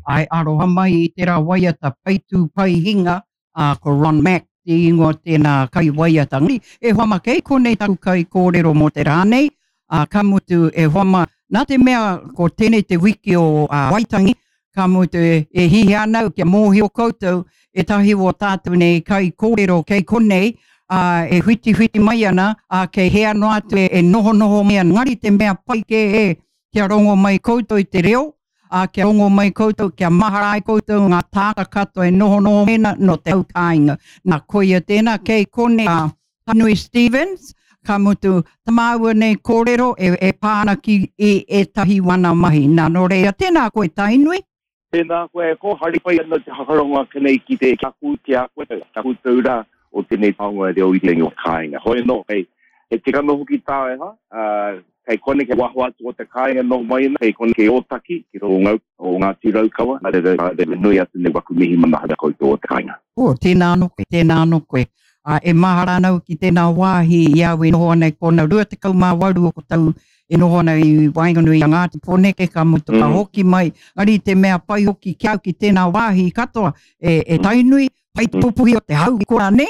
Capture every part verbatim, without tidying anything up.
Ai aroha mai i tērā waiata pai tū pai hinga, ā, ko Ron Mack te ingoa tēnā kai waiata. Ngari, e hoa ma, kei konei taku kai kōrero mō te rā nei, ā, ka mutu e hoa ma, nā te mea ko tēnei te wiki o ā, Waitangi, ka mutu e, e hihia ana au kia mōhio koutou ētahi o tātou nei kai kōrero kei konei, ā, e whitiwhiti mai ana, ā, kei hea noa atu e, e nohonoho mai ana. Ngari te mea pai kē e, kia rongo mai koutou i te reo, ā, kia rongo mai koutou, kia mahara ai koutou ngā tāngata katoa e nohonoho mai ana no te hau kāinga. Nā, koia tēnā, kei konei a Tainui Stevens, ka mutu tā māua nei kōrero e, e pā ana ki i ētahi wana mahi. Nā, nō reira, tēnā koe Tainui. Tēnā koe e ko, hari pai ana te whakarongo ake nei ki te ki a koe, ki a koe, ki a koutou rā o tēnei taonga reo irirangi o te kāinga. Hoi anō, kei, he tikanga hoki tā e ha, ā, kei konei, kei waho atu o te kāinga noho mai ana, kei konei, kei Ōtaki, ki roto o Ngau, o Ngāti Raukawa, nā reira, nā reira nui atu nei waku mihi manahau ki a koutou o te kāinga. Oh, tēnā anō koe, tēnā anō koe. Ā, e mahara ana au ki tēnā wāhi i a au e noho ana i kona rua tekau mā waru o ko tau e noho ana i waenganui i a Ngāti Pōneke, ka mutu ka hoki mai, engari te mea pai hoki ki au ki tēnā wāhi katoa, e, e Tainui, pai te pupuhi o te hau i kora, nē?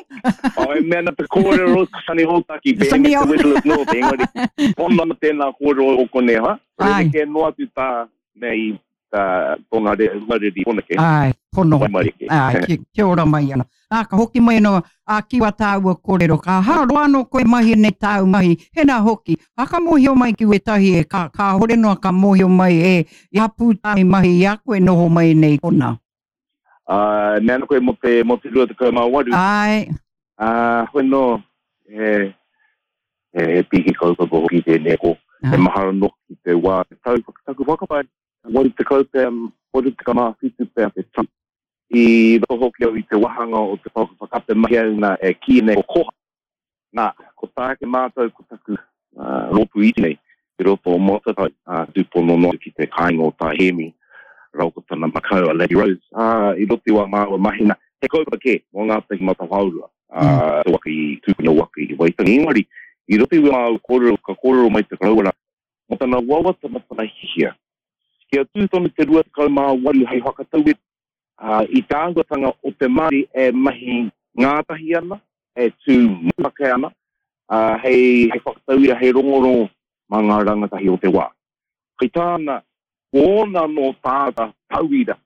Oh, e mea ana te kōrero Sunny Hōtaki, be Sunny the Whistlers North, engari, pono ana tēnā kōrero o konei, ha? Rerekē noa atu tā mea i tā tō ngā hungareri Pōneke. Āe, pono hoki. Āe, ki, kia ora mai ana. Nā, ka hoki mai anō, ā, ki wā tāua kōrero, ka hā roa anō koe mahi nei tāu mahi, hēnā hoki, ā, ka mōhio mai ki wētahi e, ka, kāhore noa ka mōhio mai e, i hapū tāu mahi i a koe noho mai nei konā. Ā, e mea ana koe mō te, mō te rua tekau mā waru. Āe. Ā, hoi nō, he, he, he pīki kaupapa hoki tēnei ko. He mahara noa ki te wā, te tau, taku whakapae, waru tekau pea, waru tekau mā whitu pea te tau. I roto hoki au i te wāhanga o te pouaka whakaata mahi au nā e kīia nei ko Koha. Nā, ko tāke mātou ko taku rōpū iti nei i roto o Motatau, ā, tūpono noa atu ki te kāinga o Tā Hēmi rāua ko tana makau a Lady Rose, ā, i roto i wā māua mahina, he kaupapa kē mō Ngātahi Matawhaorua, ā, te waka i tūpuna waka i Waitangi. Engari, i roto i wā māua kōrero, ka kōrero mai te koroua rā mō tana wawata, mō tana hiahia, kia tū tonu te rua tekau mā waru hei whakatauira i te āhuatanga o te Māori e mahi ngātahi ana, e tū motuhake ana, hei whakatauira, hei rongorongo mā ngā rangatahi o te wā. Hei tāna, ko ōna anō tāngata tauira,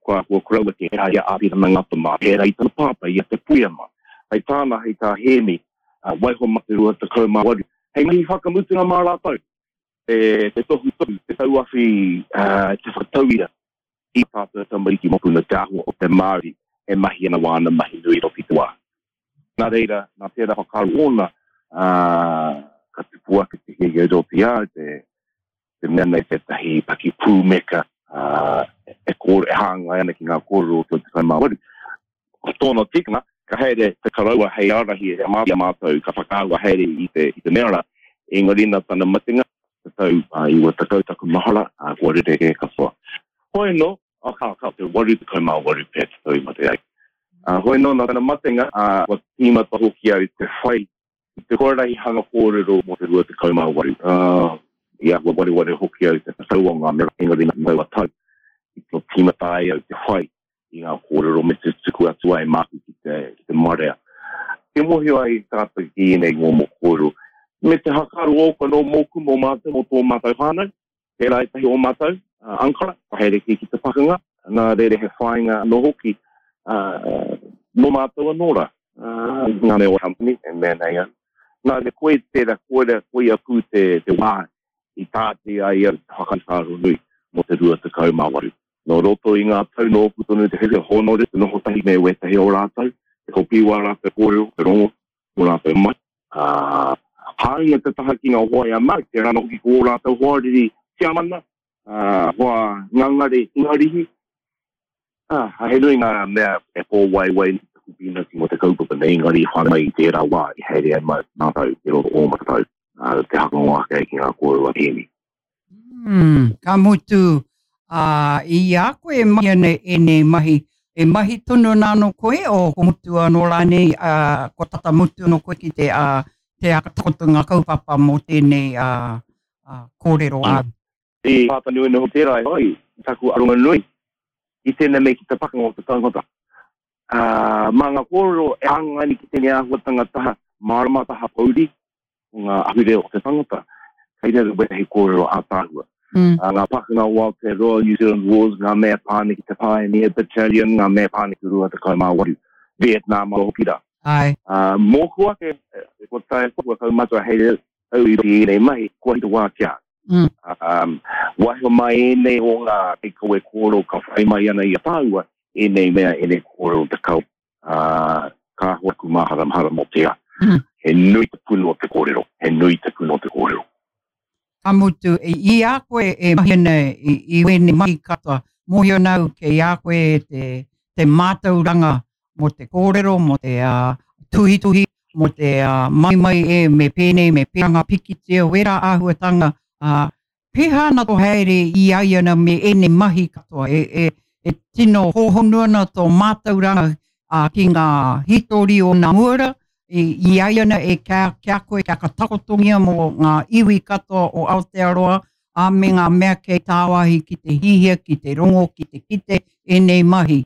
kua koroua tērā i a Āpirana Ngata mā, pērā i tana pāpā, i a Te Puea mā. Hei tāna, hei tā Hēmi, waiho mā te rua tekau mā waru, hei mahi whakamutunga mā rātou, te tohutohu, te tauawhi, te whakatauira i a tātou tamariki mokopuna te āhua o te Māori e mahi ana wāna mahi nui roto i te wā. Nā reira, nā tērā whakaaro ōna, ā, ka tupu ake te hiahia i roto i a au, te, te mea nei tētahi pakipūmeka, ā, e kōrero, e hāngai ana ki ngā kōrero o te tekau mā waru. Ko tōna tikanga, ka haere te koroua hei ārahi i a mātou, ka whakaahua haere i te, i te mea rā, engari nā tana matenga, te tau iwa tekau taku mahara, ā, kua rerekē katoa. Hoi anō, oh, ka, ka, te waru tekau mā waru pea te tau i mate ai. Ā, hoi anō, nā tana matenga, ā, kua tīmata hoki au te whai i te huarahi hanga kōrero mō te rua tekau mā waru. Ā, i āhua wareware hoki au te tau o ngā mea, engari nā taua tau i tino tīmata ai au te whai i ngā kōrero me te tuku atu ai māku ki te, ki te marea. Kia mōhio ai tātou ki ēnei momo kōrero, me te hakaaro ōku anō mōku, mō mātou, mō tō mātou whānau, tērā ētahi o mātou, Ankara, ka haere kē ki te pakanga, nā reira he whāinga anō hoki mō mātou anō rā, ngā mea o company e mea nei au. Nā reira, koe tērā, koira, koia pū te, te wā i tāti ai au te whakawhāro nui mō te rua tekau mā waru. Nō roto i ngā tau nōku tonu te whiwhi hōnore te noho tahi me wētahi o rātou, te kopi wā rātou kōrero, te rongo o rātou mai. Ā, hāunga te taha ki ngā hoa i a Mark, tērā anō hoki ko ō rātou hoariri Tiamana, ā, hoa ngangare Ingarihi. Ā, he nui ngā mea e pōwaiwai nei taku pīnati mō te kaupapa nei, engari i whai mai i tērā wā i haere ai mātou i roto o Ōmatatau, ā, te hakango ake ki ngā kōrero a Hēmi. Mm, ka mutu, ā, i a koe e mahi ana ēnei mahi, e mahi tonu ana anō koe, o ko mutu anō rānei, ā, kua tata mutu anō koe ki te, ā, te whakatakoto ngā kaupapa mō tēnei, ā, ā, kōrero āu. I pāpā nui noho tērā e whai i taku aronga nui i tēnei mea ki te pakanga o te tangata. Uh, mā ngā kōrero e hāngai ana ki tēnei āhuatanga taha mārama, taha pouri, o ngā ahurea o te tangata, kei reira wētahi kōrero ātaahua. Mm. Uh, ngā pakanga o Aotearoa, New Zealand Wars, ngā mea pā ana ki te Pioneer Battalion, ngā mea pā ana ki Rua Tekau mā Waru, Vietnam anō hoki rā. Ai. Uh, mōku ake, kua tae, kua kaumatua hei au i roto i ēnei mahi, kua hita wā ki a au. Mm. Um, waiho mai ēnei o ngā kaikawe kōrero ka whai mai ana i a tāua, ēnei mea, ēnei kōrero te kau, uh, kāhore aku māharamahara mō tērā. Mm. He nui te puna o te kōrero, he nui te puna o te kōrero. Ka mutu, i a koe e mahi ana i, i wēnei mahi katoa, mōhio ana au kei a koe te, te mātauranga mō te kōrero, mō te uh, tuhituhi, mō te uh, mai mai e me pēnei, me pērā ngā pikitia, wērā āhuatanga, uh, pēhā ana tō haere i a ia ana me ēnei mahi katoa, e, e, e tino hōhonu ana tō mātauranga uh, ki ngā hītori o nā muara, i, i a ia ana e kia, kia koe, kia ka takotongia mō ngā iwi katoa o Aotearoa, a me ngā mea kei tāwāhi ki te hihia, ki te rongo, ki te kite, ēnei mahi.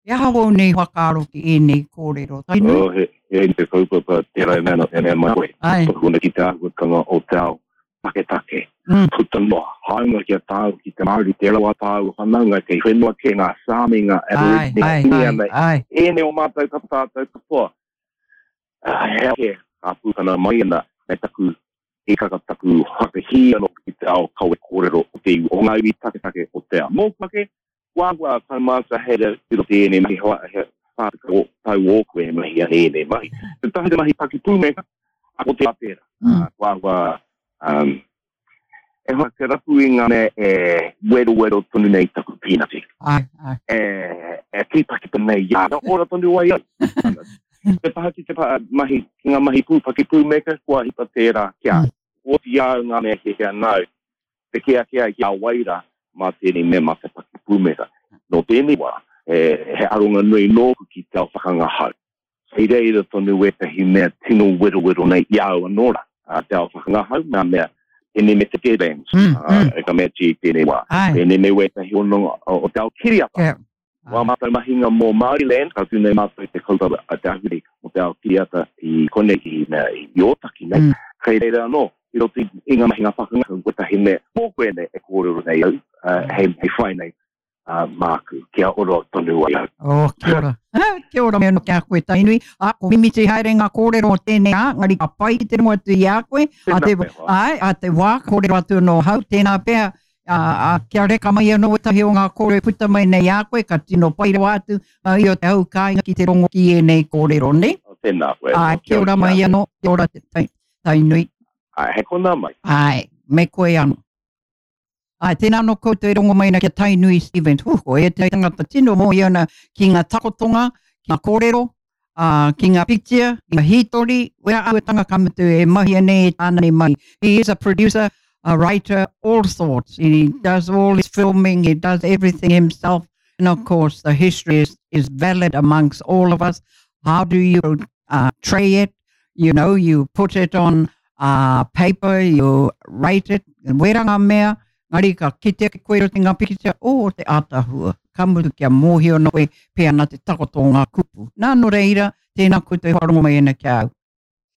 He aha wau nei whakaaro ki ēnei kōrero? Tainui? Oh, he, he te kaupapa tērā e mea ana, e mea mai koe. Ai. Tohu ana ki te āhuatanga o te ao taketake. Mm. Puta noa, hāunga ki a tāu, ki te Māori, te rawa tāu whanaunga, kei whenua kē ngā Sāmi, ngā Ai, Aborigine, ai, ngā ai, Iniana, ai. ēnei o mātou katoa, tātou katoa. Ah, he ake, ka pūkana mai ana, me taku hikaka, taku whakahī anō ki te ao kawe kōrero o te iwi, o ngā iwi taketake o te ao. Mōku ake, kua āhua kaumātua hei re i roto i ēnei mahi, hoa, he whā tekau tau ōku e mahi ana ēnei mahi. Te tahi te mahi pakipūmeka, a ko te tērā. Mm. Kua āhua, um, e hoa te rapu i ngā mea e werowero tonu nei taku pīnati. Ai, ai. E, e tīpakipa nei i a, ora tonu ai au. Te taha ki te pa, mahi, ki ngā mahi pū pakipūmeka, kua hipa tērā kia. Mm. Oti au ngā mea he hea nau, te kea kea ki a waira mā tēnei mea mā te pakipūmeka. Nō tēnei wā, e, he aronga nui nōku ki te ao whakangahau. Hei reira tonu wētahi mea tino werowero nei i au anō rā. Uh, te ao whakangahau, ngā mea, tēnei me te Deadlands, Mm, uh, mm. e ka mea ti i tēnei wā. Ai. Tēnei me wētahi hononga o, o te ao kiriata. Kia. Wā mātou mahinga mō Māoriland, ka tū nei mātou te kaupapa a te ahurei mō te ao kiriata i konei i, mea, i Ōtaki nei. Mm. Kei reira anō, i roto i, i ngā mahinga whakangahau, wētahi mea mōku e nei e kōrero nei au, uh, hei, hei whai nei, uh, māku, kia ora tonu ai au. Oh, kia ora. Ah, kia ora me anō kia koe Tainui. A, ko mimiti haere ngā kōrero o tēnei ā, ngari ka pai ki te rongo atu i a koe. A te, Tēnā pea, hoa. ai, a te wā, kōrero atu anō hau, tēnā pea, a, a, kia reka mai anō wētahi o ngā kōrero e puta mai nei a koe, ka tino pai rawa atu, ngā i o te hau kāinga ki te rongo ki ēnei kōrero, nei? Oh, tēnā koe. Ai, kia ora mai anō, kia ora te tai, Tainui. Ai, he konā mai. Ai, me koe anō. Ai, tēnā anō koutou e rongo mai ana kia Tainui Stevens. Huh, ko e te tangata tino mōhio ana ki ngā takotonga, ki ngā kōrero, uh, ki ngā pikitia, ki ngā hītori, wera āhuatanga ka mutu e mahi nei e tāna nei mahi. He is a producer, a writer, all sorts. He does all his filming, he does everything himself. And of course, the history is, is valid amongst all of us. How do you uh, tray it? You know, you put it on uh, paper, you write it, and wera ngā mea, ngari ka kitea ki koe roto i ngā pikitia, o te ātahua, ka mutu kia mōhio no koe, pē ana te takoto o ngā kupu. Nā, nō reira, tēnā koutou e whakarongo mai ana ki au.